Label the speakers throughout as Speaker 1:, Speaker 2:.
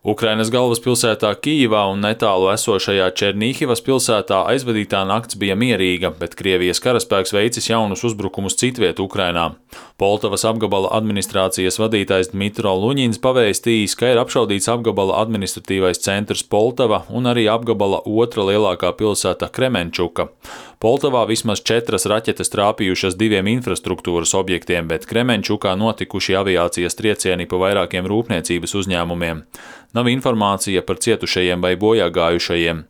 Speaker 1: Ukrainas galvaspilsētā Kijivā un netālu esošajā Černihivas pilsētā aizvadītā nakts bija mierīga, bet Krievijas karaspēks veicis jaunus uzbrukumus citviet Ukrainā. Poltavas apgabala administrācijas vadītājs Dmitro Luņins pavēstījis, ka ir apšaudīts apgabala administratīvais centrs Poltava un arī apgabala otra lielākā pilsēta Kremenčuka. Poltavā vismaz 4 raķetes trāpījušas 2 infrastruktūras objektiem, bet Kremenčukā notikuši aviācijas triecieni pa vairākiem rūpniecības uzņēmumiem. Nav informācija par cietušajiem vai bojāgājušajiem.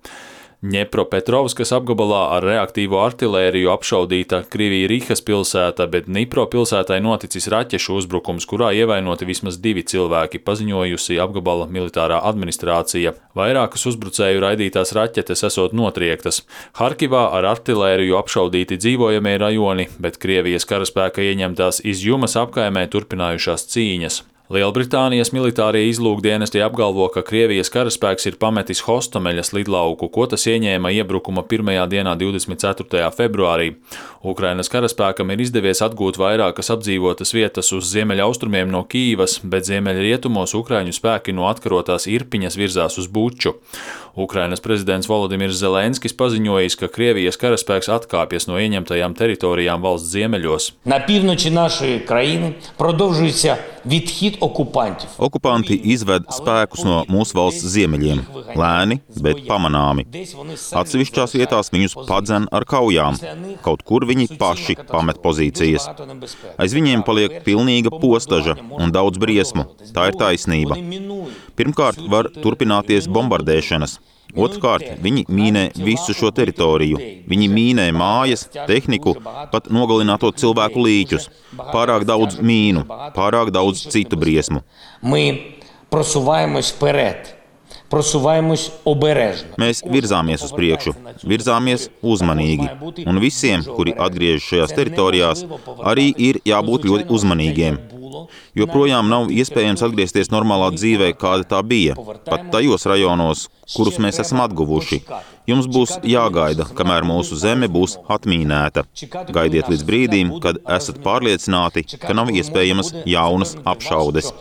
Speaker 1: Ņepropetrovskas apgabalā ar reaktīvo artilēriju apšaudīta Krivija-Rihas pilsēta, bet Dnipro pilsētai noticis raķešu uzbrukums, kurā ievainoti vismaz 2 cilvēki, paziņojusi apgabala militārā administrācija. Vairākas uzbrucēju raidītās raķetes esot notriektas. Harkivā ar artilēriju apšaudīti dzīvojamie rajoni, bet Krievijas karaspēka ieņemtās Izjumas apkaimē turpinājušās cīņas. Lielbritānijas militārie izlūkdienesti apgalvo, ka Krievijas karaspēks ir pametis Hostomeļas lidlauku, ko tas ieņēma iebrukuma pirmajā dienā 24. februārī. Ukrainas karaspēkam ir izdevies atgūt vairākas apdzīvotas vietas uz ziemeļaustrumiem no Kijivas, bet ziemeļrietumos ukraiņu spēki no atkarotās Irpiņas virzās uz Buču. Ukrainas prezidents Volodimirs Zelenskis paziņojis, ka Krievijas karaspēks atkāpjas no ieņemtajām teritorijām valsts ziemeļos.
Speaker 2: На півночі нашої країни продовжується відхід окупантів.
Speaker 3: Okupanti izved spēkus no mūsu valsts ziemeļiem, lēni, bet pamanāmi. Atsevišķās vietās viņus padzen ar kaujām, kaut kur viņi paši pamet pozīcijas. Aiz viņiem paliek pilnīga postaža un daudz briesmu. Tā ir taisnība. Pirmkārt, var turpināties bombardēšanas. Otrkārt, viņi mīnē visu šo teritoriju. Viņi mīnē mājas, tehniku, pat nogalināto cilvēku līķus. Pārāk daudz mīnu, pārāk daudz citu briesmu. Mēs virzāmies uz priekšu, virzāmies uzmanīgi. Un visiem, kuri atgriežas šajās teritorijās, arī ir jābūt ļoti uzmanīgiem. Joprojām nav iespējams atgriezties normālā dzīvē, kāda tā bija, pat tajos rajonos, kurus mēs esam atguvuši. Jums būs jāgaida, kamēr mūsu zeme būs atmīnēta. Gaidiet līdz brīdim, kad esat pārliecināti, ka nav iespējamas jaunas apšaudes.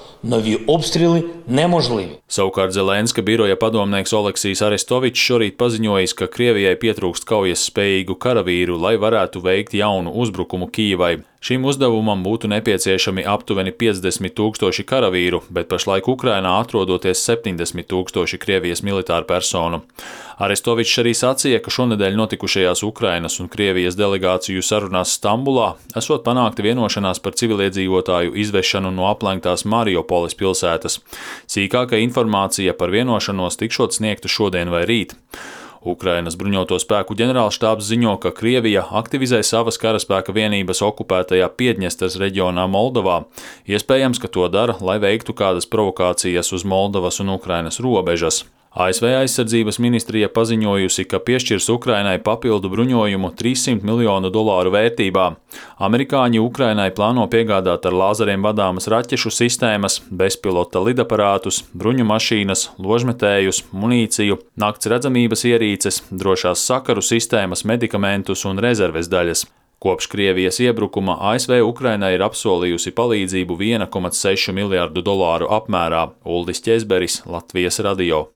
Speaker 1: Savukārt Zelenska biroja padomnieks Oleksijs Arestovičs šorīt paziņojis, ka Krievijai pietrūkst kaujas spējīgu karavīru, lai varētu veikt jaunu uzbrukumu Kijivai. Šim uzdevumam būtu nepieciešami aptuveni 50 000 karavīru, bet pašlaik Ukrainā atrodoties 70 000 Krievijas militāru personu. Arestovičs arī sacīja, ka šonedēļ notikušajās Ukrainas un Krievijas delegāciju sarunās Stambulā esot panākta vienošanās par civiliedzīvotāju izvešanu no aplenktās Mariupoles pilsētas. Sīkāka informācija par vienošanos tikšot sniegta šodien vai rīt. Ukrainas bruņoto spēku ģenerālštābs ziņo, ka Krievija aktivizē savas karaspēka vienības okupētajā Piedņestras reģionā Moldovā. Iespējams, ka to dara, lai veiktu kādas provokācijas uz Moldovas un Ukrainas robežas. ASV aizsardzības ministrija paziņojusi, ka piešķirs Ukrainai papildu bruņojumu $300 miljonu vērtībā. Amerikāņi Ukrainai plāno piegādāt ar lāzeriem vadāmas raķešu sistēmas, bezpilota lidaparātus, bruņu mašīnas, ložmetējus, munīciju, nakts redzamības ierīces, drošās sakaru sistēmas, medikamentus un rezerves daļas. Kopš Krievijas iebrukuma ASV Ukrainai ir apsolījusi palīdzību $1,6 miljardu apmērā. Uldis Ķezberis, Latvijas radio.